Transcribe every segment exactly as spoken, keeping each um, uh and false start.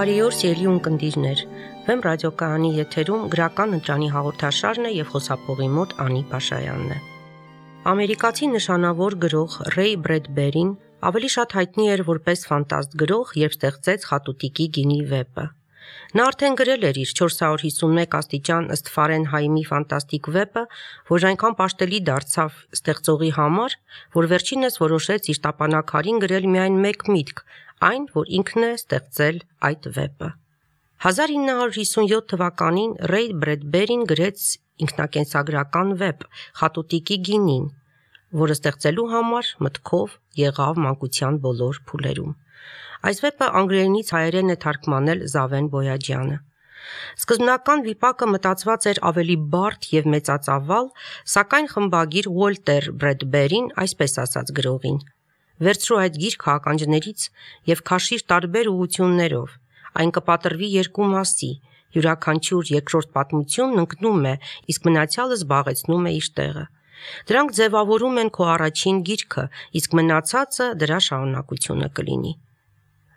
Բարի օր, սիրելի ունկնդիրներ։ Վեմ ռադիոկայանի եթերում գրական ընտրանի հաղորդաշարն է եւ խոսափողի մոտ Անի Փաշայանն է։ Ամերիկացի նշանավոր գրող Ռեյ Բրեդբերին ավելի շատ հայտնի էր որպես ֆանտաստ գրող, երբ ստեղծեց Խատուտիկի գինի վեպը։ Նա արդեն գրել էր իր չորս հարյուր հիսունմեկ աստիճան ըստ Ֆարենհայմի ֆանտաստիկ վեպը, որ այնքան պաշտելի դարձավ ստեղծողի համար, որ վերջինս որոշեց իր տապանակարին գրել միայն մեկ միտք, այն, որ ինքն է ստեղծել այդ վեպը։ հազար ինը հարյուր հիսունյոթ թվականին Ռեյ Բրեդբերին գրեց ինքնակենսագրական վեպ Խատուտիկի գինին, որը ստեղծելու համար մտքով եղավ մանկության բոլոր փուլերում։ Այս վեպը անգլերենից հայերեն է թարգմանել Զավեն Բոյաջյանը։ Սկզբնական վիպակը մտածված էր ավելի բարդ եւ մեծածավալ, սակայն խմբագիր Ուոլտեր Բրեդբերին այսպես ասաց գրողին. «Վերցրու այդ գիրքը ականջներից եւ քաշիր տարբեր ուղություններով, այն կպատրվի երկու մասի, յուրաքանչյուր երկրորդ պատմությունն ընկնում է, իսկ մնացյալը զբաղեցնում է իր տեղը։ Դրանք ձևավորում են քո առաջին գիրքը, իսկ մնացածը դրա շարունակությունը կլինի»։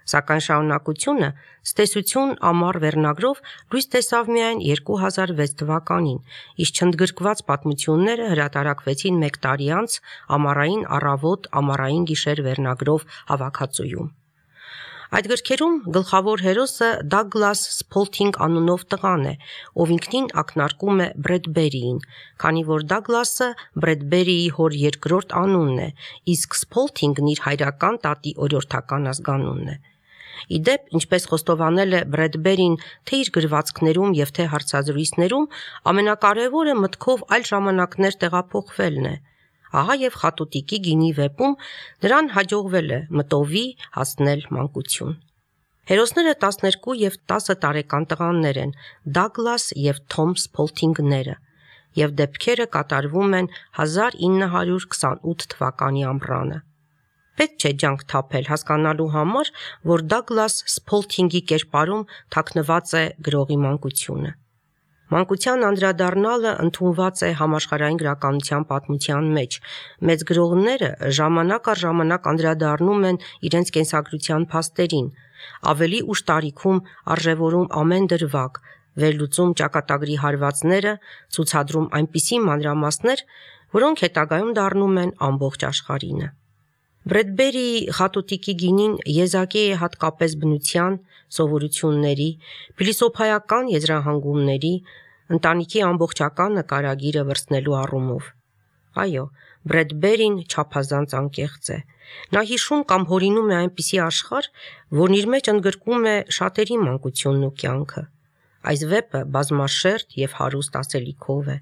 Սակայն շարունակությունը «Ստեսություն» ամառ վերնագրով լույս տեսավ միայն երկու հազար վեց թվականին, իսկ չընդգրկված պատմությունները հրատարակվեցին մեկ տարի անց Ամառային առավոտ, ամառային գիշեր վերնագրով հավաքածուում։ Այդ գրքերում գլխավոր հերոսը Դագլաս Սփոլթինգ անունով տղան է, ով ինքնին ակնարկում է Բրեդբերիին, քանի որ Դագլասը Բրեդբերիի հոր երկրորդ անունն է, իսկ Սփոլթինգն իր հայրական տատի օրիորդական ազգանունն է։ Իդեպ, ինչպես խոստովանել է Բրեդբերին թե իր գրվածքներում եւ թե հարցազրույցներում, ամենակարևորը մտքով այլ ժամանակներ տեղափոխվելն է։ Ահա եւ Խատուտիկի գինի վեպում նրան հաջողվել է մտովի հասնել մանկություն։ Հերոսները տասներկու եւ տասը տարեկան տղաներ են, Դագլաս եւ Թոմ Սփոլթինգները, եւ դեպքերը կատարվում են հազար ինը հարյուր քսանութ թվականի ամռանը։ Պետք չէ ջանք թափել հասկանալու համար, որ Դագլաս Սփոլթինգի կերպարում թաքնված է գրողի մանկությունը։ Մանկության անդրադառնալը ընդունված է համաշխարհային գրականության պատմության մեջ։ Մեծ գրողները ժամանակ առ ժամանակ անդրադառնում են իրենց կենսագրության փաստերին, ավելի ուշ տարիքում արժևորում ամեն դրվագ, վերլուծում ճակատագրի հարվածները, ցուցադրում այնպիսի մանրամասներ, որոնք հետագայում դառնում են ամբողջ աշխարհինը։ Բրեդբերիի Խատուտիկի գինին եզակի է հատկապես բնության, սովորությունների, փիլիսոփայական եզրահանգումների, ընտանիքի ամբողջական նկարագիրը վրձնելու առումով։ Այո, Բրեդբերին չափազանց անկեղծ է։ Նա հիշում կամ հորինում է այնպիսի աշխարհ, որն իր մեջ ընդգրկում է շատերի մանկությունն ու կյանքը։ Այս վեպը բազմաշերտ եւ հարուստ ասելիքով է։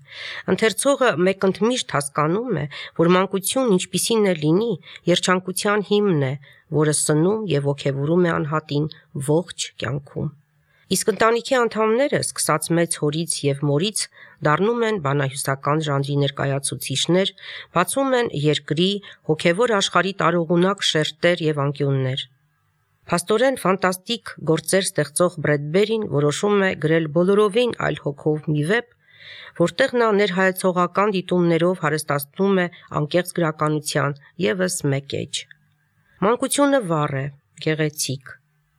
Ընթերցողը մեկընդմիշտ հասկանում է, որ մանկությունն ինչպիսին է լինի, երջանկության հիմն է, որը սնում եւ ոգևորում է անհատին ողջ կյանքում։ Իսկ ընտանիքի անդամները, սկսած մեծ հորից եւ մորից, դառնում են բանահյուսական ժանրի ներկայացուցիչներ, բացում են երկրի, հոգևոր աշխարհի տարողունակ շերտեր եւ անկյուններ։ Փաստորեն ֆանտաստիկ գործեր ստեղծող Բրեդբերին որոշում է գրել բոլորովին այլ հոգով մի վեպ, որտեղ նա ներհայեցողական դիտումներով հարստացնում է անկեղծ գրականության եւս մեկ էջ։ Մանկությունը վառ է, գեղեցիկ,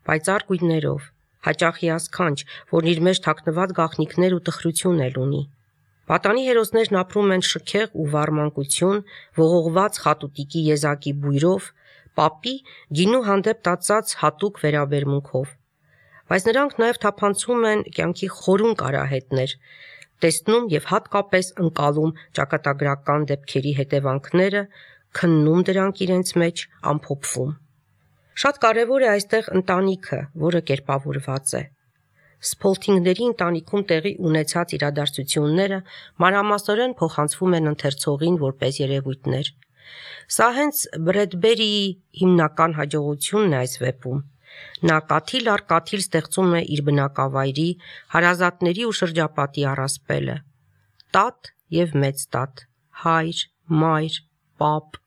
պայծառ գույներով, հաճախ հիասքանչ, որն իր մեջ թաքնված գաղտնիքներ ու տխրություն էլ ունի։ Պատանի հերոսներն ապրում են շքեղ ու վառ մանկություն, ողողված Խատուտիկի եզակի բույրով, պապի գինու հանդեպ տածած հատուկ վերաբերմունքով։ Բայց նրանք նաև թափանցում են կյանքի խորուն կարահետներ, տեսնում եւ հատկապես ընկալում ճակատագրական դեպքերի հետևանքները, քննում դրանք իրենց մեջ, ամփոփվում։ Շատ կարևոր է այստեղ ընտանիքը, որը կերպավորված է։ Սփոլթինգների ընտանիքում տեղի ունեցած իրադարձությունները մանրամասնորեն փոխանցվում են ընթերցողին որպես երևույթներ։ Սա հենց Բրեդբերիի հիմնական հաջողությունն է այս վեպում։ Նա կաթիլ առ կաթիլ ստեղծում է իր բնակավայրի, հարազատների ու շրջապատի առասպելը։ Տատ եւ մեծ տատ, հայր, մայր, պապ։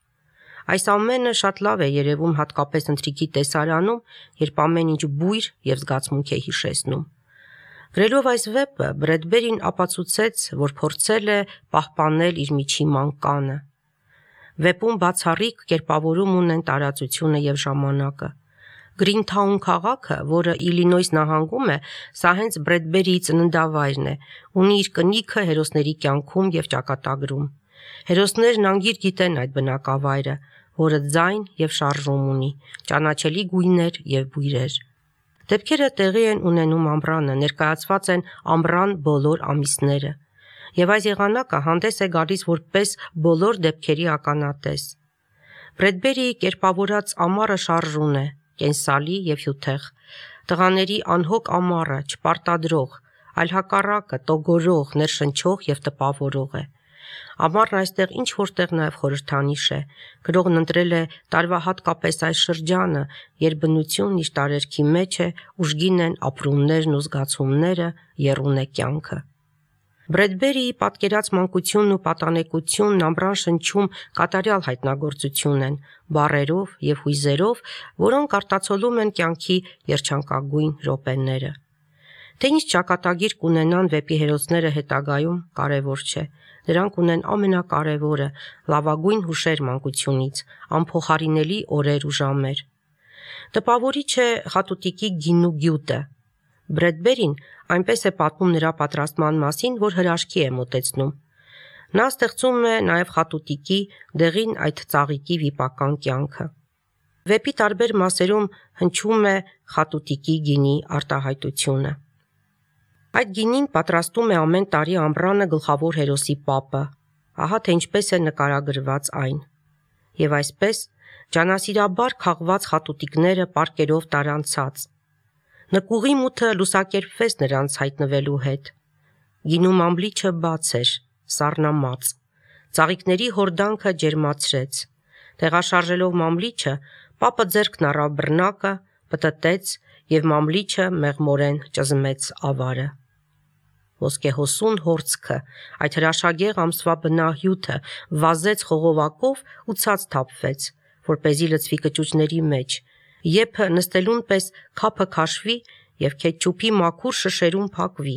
Այս ամենը շատ լավ է երևում հատկապես ընթրիքի տեսարանում, երբ ամեն ինչ բույր եւ զգացմունք է հիշեցնում։ Գրելով այս վեպը Բրեդբերին ապացուցեց, որ փորձել է պահպանել իր միջի մանկանը։ Վեպում բացառիկ կերպավորում ունեն տարածությունը եւ ժամանակը։ Գրինթաուն քաղաքը, որը Իլինոյս նահանգում է, սա հենց Բրեդբերիի ծննդավայրն է, ունի իր կնիքը հերոսների կյանքում եւ ճակատագրում։ Հերոսներն անգիր գիտեն այդ բնակավայրը, որը ձայն եւ շարժում ունի, ճանաչելի գույներ եւ բույրեր։ Դեպքերը տեղի են ունենում ամռանը, ներկայացված են ամռան բոլոր ամիսները, եւ այս եղանակը հանդես է գալիս որպես բոլոր դեպքերի ականատես։ Բրեդբերիի կերպավորած ամառը շարժուն է, կենսալի եւ հյութեղ, տղաների անհոգ ամառը, չպարտադրող, այլ հակառակը, տոգորող, ներշնչող եւ տպավորող է։ Ամառն այստեղ ինչ որտեղ նաև խորհրդանիշ է, գրողն ընտրել է տարվա հատկապես այս շրջանը, երբ բնությունն իր տարերքի մեջ է, ուժգին են ապրումներն ու զգացումները, եռուն է կյանքը։ Բրեդբերիի պատկերած մանկությունն ու պատանեկությունն ամռան շնչում կատարյալ հայտնագործություն են, բառերով եւ հույզերով, որոնք արտացոլում են կյանքի երջանկագույն րոպեները։ Թե ինչ ճակատագիր կունենան վեպի հերոսները հետագայում, կարևոր չէ։ Դրանք ունեն ամենակարևորը՝ լավագույն հուշեր մանկությունից, անփոխարինելի օրեր ու ժամեր։ Տպավորիչ է խատուտիկի գինու գյուտը։ Բրեդբերին այնպես է պատմում նրա պատրաստման մասին, որ հրաշքի է մոտեցնում։ Նա ստեղծում է նաև խատուտիկի դեղին այդ ծաղիկի վիպական կյանքը։ Վեպի տարբեր մասերում հնչում է խատուտիկի գինի արտահայտությունը։ Այդ գինին պատրաստում է ամեն տարի ամռանը գլխավոր հերոսի պապը, ահա թե ինչպես է նկարագրված այն։ Եվ այսպես ջանասիրաբար քաղված խատուտիկները պարկերով տարան ցած։ Նկուղի մութը լուսակերպվեց նրանց հայտնվելու հետ։ Գինու մամլիչը բաց էր, սառնամած, ծաղիկների հորդանքը ջերմացրեց։ Տեղաշարժելով մամլիչը, պապը ձեռքն առավ բռնակը, պտտեց եւ մամլիչը մեղմորեն ճզմեց ավարը։ Ոսկեհոսուն հորձքը, այդ հրաշագեղ ամսվա բնահյութը վազեց խողովակով ու ցած թափվեց, որպեսզի լցվի կճուճների մեջ, եփը նստելուն պես քափը քաշվի եւ քեչուփի մաքուր շշերում փակվի,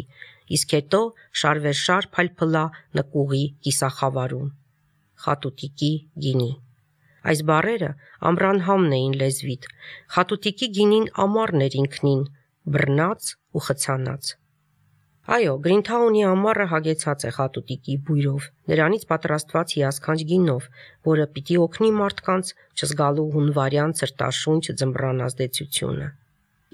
իսկ հետո շարվերշար փալփլա նկուղի կիսախավարում։ Խատուտիկի գինի։ Այս բառերը ամռանհամն էին լեզվիդ, խատուտիկի գինին ամառն էր ինքնին, բռնած ու խցանած։ Այո, Գրինթաունի ամառը հագեցած է խատուտիկի բույրով, նրանից պատրաստված հիասքանչ գինով, որը պիտի օգնի մարդկանց չզգալու հունվարյան ցրտաշունչ ձմռան ազդեցությունը։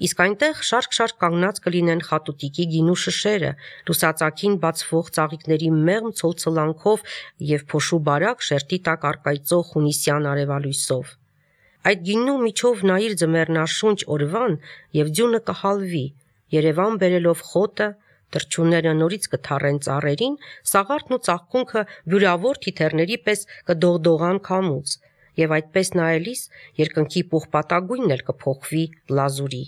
Իսկ այնտեղ շարք-շարք կանգնած կլինեն խատուտիկի գինու շշերը, լուսածակին բացվող ծաղիկների մեղմ ցոլցլանքով եւ փոշու բարակ շերտի տակ առկայծող հունիսյան արևալույսով։ Այդ գինու միջով նայիր ձմեռնաշունչ օրվան եւ ձյունը կհալվի, Երևան բերելով խոտը, թրջունները նորից կթառեն ծառերին, սաղարթն ու ծաղկունքը վյուրավոր թիթեռների պես կդողդողան քամուց, եւ այդպես նայելիս երկնքի պուղպատագույնն էլ կփոխվի լազուրի։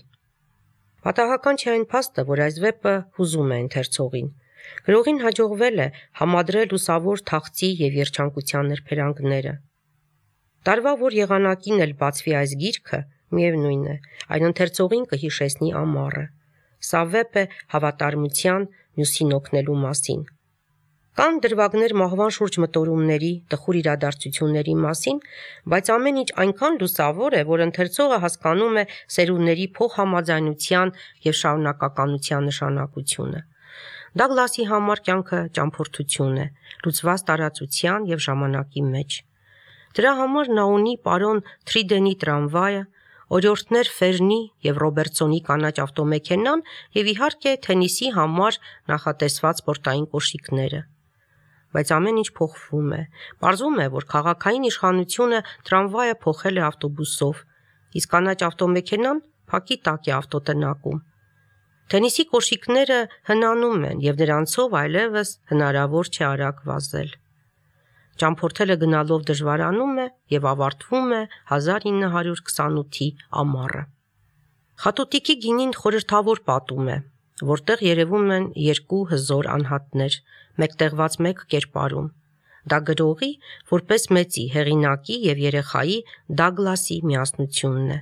Պատահական չէ այն փաստը, որ այս վեպը հուզում է ընթերցողին։ Գրողին հաջողվել է համադրել լուսավոր թախծի եւ երջանկության նրբերանգները։ Տարվա որ եղանակին էլ բացվի այս գիրքը, միևնույն է, այն ընթերցողին կհիշեցնի ամառը։ Սա վեպ է հավատարմության, մյուսին օգնելու մասին։ Կան դրվագներ մահվան շուրջ մտորումների, տխուր իրադարձությունների մասին, բայց ամեն ինչ այնքան լուսավոր է, որ ընթերցողը հասկանում է սերունդների փոխհամաձայնության եւ շարունակականության նշանակությունը։ Դագլասի համար կյանքը ճամփորդություն է, լուծված տարածության եւ ժամանակի մեջ։ Դրա համար նա ունի պարոն Թրիդենի տրամվայը, օրիորդներ Ֆերնի եւ Ռոբերտսոնի կանաչ ավտոմեքենան եւ իհարկե թենիսի համար նախատեսված սպորտային կոշիկները։ Բայց ամեն ինչ փոխվում է։ Պարզվում է, որ քաղաքային իշխանությունը տրամվայը փոխել է ավտոբուսով, իսկ կանաչ ավտոմեքենան փակի տակ է ավտոտնակում։ Թենիսի կոշիկները հնանում են եւ նրանցով այլևս հնարավոր չէ արագ վազել։ Ճամփորդելը գնալով դժվարանում է եւ ավարտվում է հազար ինը հարյուր քսանութի ամառը։ Խատուտիկի գինին խորհրդավոր պատում է, որտեղ երևում են երկու հզոր անհատներ, մեկտեղված մեկ կերպարում։ Դա գրողի, որպես մեծի, հեղինակի եւ երեխայի Դագլասի միասնությունն է։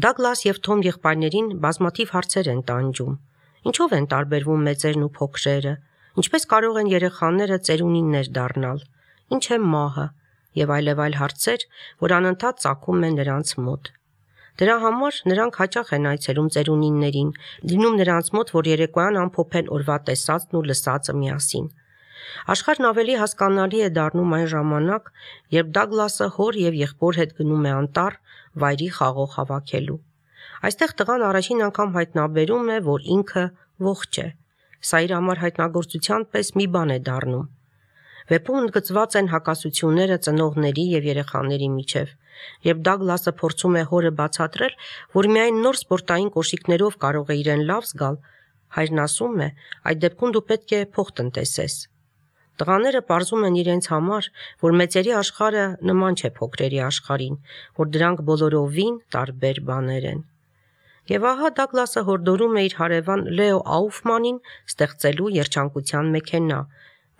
Դագլաս եւ Թոմ եղբայրներին բազմաթիվ հարցեր են տանջում։ Ինչով են տարբերվում մեծերն ու փոքրերը։ Ինչպես կարող են երեխաները ծերունիներ դառնալ։ Ինչ է մահը եւ այլև այլ հարցեր, որ անընդհատ ծագում են նրանց մոտ։ Դրա համար նրանք հաճախ են այցելում ծերունիններին, լինում նրանց մոտ, որ երեկոյան ամփոփեն օրվա տեսածն ու լսածը միասին։ Աշխարհն ավելի հասկանալի է դառնում այն ժամանակ, երբ Դագլասը հոր եւ եղբոր հետ գնում է անտառ վայրի խաղող հավաքելու։ Այստեղ տղան առաջին անգամ հայտնաբերում է, որ ինքը ողջ է։ Սա իր համար հայտնագործության պես մի բան է դառնում։ Վեպում ընդգծված են հակասությունները ծնողների եւ երեխաների միջև, երբ Դագլասը փորձում է հորը բացատրել, որ միայն նոր սպորտային կոշիկներով կարող է իրեն լավ զգալ, հայրն ասում է, այդ դեպքում դու պետք է փող տնտեսես։ Տղաները պարզում են իրենց համար, որ մեծերի աշխարհը նման չէ փոքրերի աշխարհին, որ դրանք բոլորովին տարբեր բաներ են։ Եվ ահա Դագլասը հորդորում է իր հարևան Լեո Աուֆմանին ստեղծելու երջանկության մեքենա,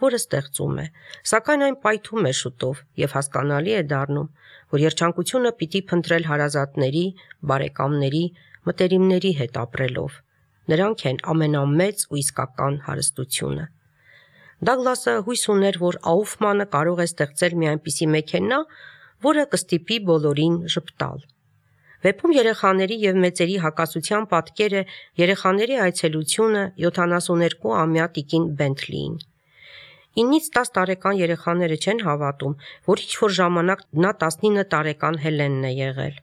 որը ստեղծում է, սակայն այն պայթում է շուտով եւ հասկանալի է դառնում, որ երջանկությունը պիտի փնտրել հարազատների, բարեկամների, մտերիմների հետ ապրելով։ Նրանք են ամենամեծ ու իսկական հարստությունը։ Դագլասը հույս ուներ, որ Աուֆմանը կարող է ստեղծել մի այնպիսի մեքենա, որը կստիպի բոլորին ժպտալ։ Վեպում երեխաների եւ մեծերի հակասության պատկերը երեխաների այցելությունը յոթանասուներկուամյա տիկին Բենթլիին։ ինից տաս տարեկան երեխաները չեն հավատում, որ ինչ-որ ժամանակ նա տասնինը տարեկան Հելենն է եղել։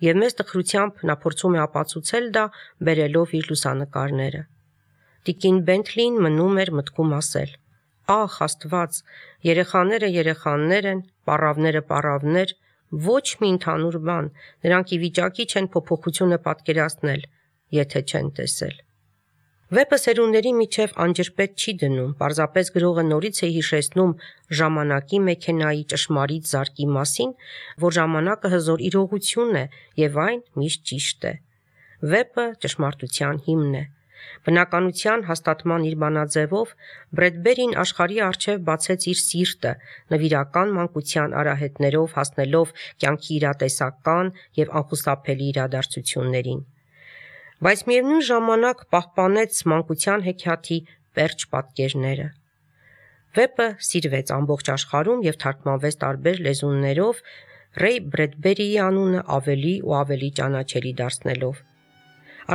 Եվ մեծ տխրությամբ նա փորձում է ապացուցել դա, բերելով իր լուսանկարները։ Տիկին Բենթլին մնում էր մտքում ասել. «Ախ, Աստված, երեխաները երեխաներ են, պառավները պառավներ, ոչ մի ընդհանուր բան, նրանք ի վիճակի չեն փոփոխությունը պատկերացնել, եթե չեն տեսել»։ Վեպը սերունդների միջև անջրպետ չի դնում, պարզապես գրողը նորից է հիշեցնում ժամանակի մեքենայի ճշմարիտ զարկի մասին, որ ժամանակը հզոր իրողություն է եւ այն միշտ ճիշտ է։ Վեպը ճշմարտության հիմն է։ Բնականության հաստատման իր բանաձևով Բրեդբերին աշխարհի առջև բացեց իր սիրտը, նվիրական մանկության արահետներով հասնելով կյանքի իրատեսական եւ անխուսափելի իրադարձություններին։ Բայց միևնույն ժամանակ պահպանեց մանկության հեքիաթի պերճ պատկերները։ Վեպը սիրվեց ամբողջ աշխարհում եւ թարգմանվեց տարբեր լեզուներով, Ռեյ Բրեդբերիի անունը ավելի ու ավելի ճանաչելի դարձնելով։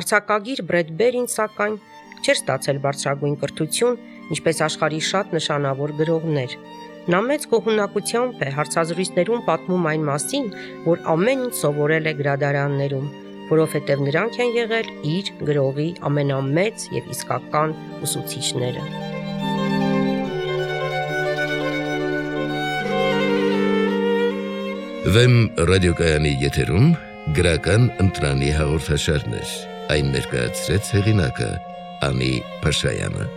Արձակագիր Բրեդբերին, սակայն, չէր ստացել բարձրագույն կրթություն, ինչպես աշխարհի շատ նշանավոր գրողներ։ Նա մեծ գոհունակությամբ է հարցազրույցներում պատմում այն մասին, որ ամեն ինչ սովորել է գրադարաններում, որովհետև նրանք են եղել իր գրողի ամենամեծ եւ իսկական ուսուցիչները։ Վեմ ռադիոկայանի եթերում գրական ընտրանի հաղորդաշարներ, այն ներկայացրեց հեղինակը Անի Փաշայանը։